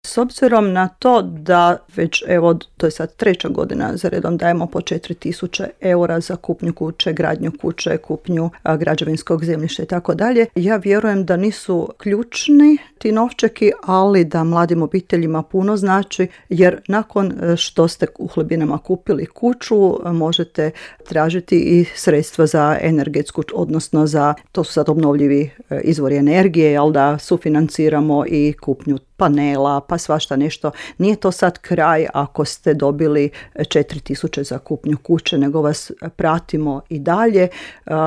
S obzirom na to da već, evo, to je sad 3. godina za redom dajemo po 4.000 eura za kupnju kuće, gradnju kuće, kupnju građevinskog zemljišta i tako dalje, ja vjerujem da nisu ključni ti novčeki, ali da mladim obiteljima puno znači, jer nakon što ste u Hlebinama kupili kuću, možete tražiti i sredstva za energetsku, odnosno to su sad obnovljivi izvori energije, jel da sufinanciramo i kupnju panela, pa svašta nešto. Nije to sad kraj ako ste dobili 4.000 za kupnju kuće, nego vas pratimo i dalje.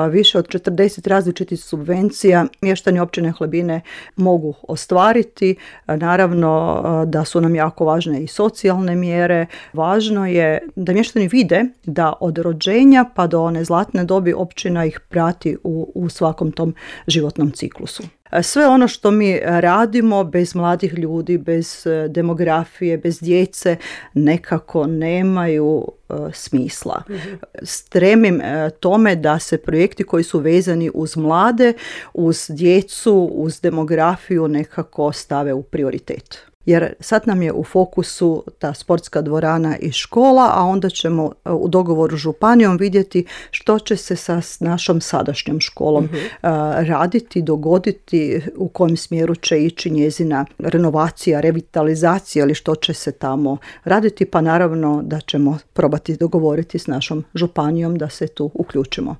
Više od 40 različitih subvencija mještani općine Hlebine mogu ostvariti. Naravno da su nam jako važne i socijalne mjere. Važno je da mještani vide da od rođenja pa do one zlatne dobi općina ih prati u svakom tom životnom ciklusu. Sve ono što mi radimo bez mladih ljudi, bez demografije, bez djece, nekako nemaju smisla. Stremim tome da se projekti koji su vezani uz mlade, uz djecu, uz demografiju nekako stave u prioritet. Jer sad nam je u fokusu ta sportska dvorana i škola, a onda ćemo u dogovoru s županijom vidjeti što će se sa našom sadašnjom školom raditi, dogoditi, u kojem smjeru će ići njezina renovacija, revitalizacija ili što će se tamo raditi, pa naravno da ćemo probati dogovoriti s našom županijom da se tu uključimo.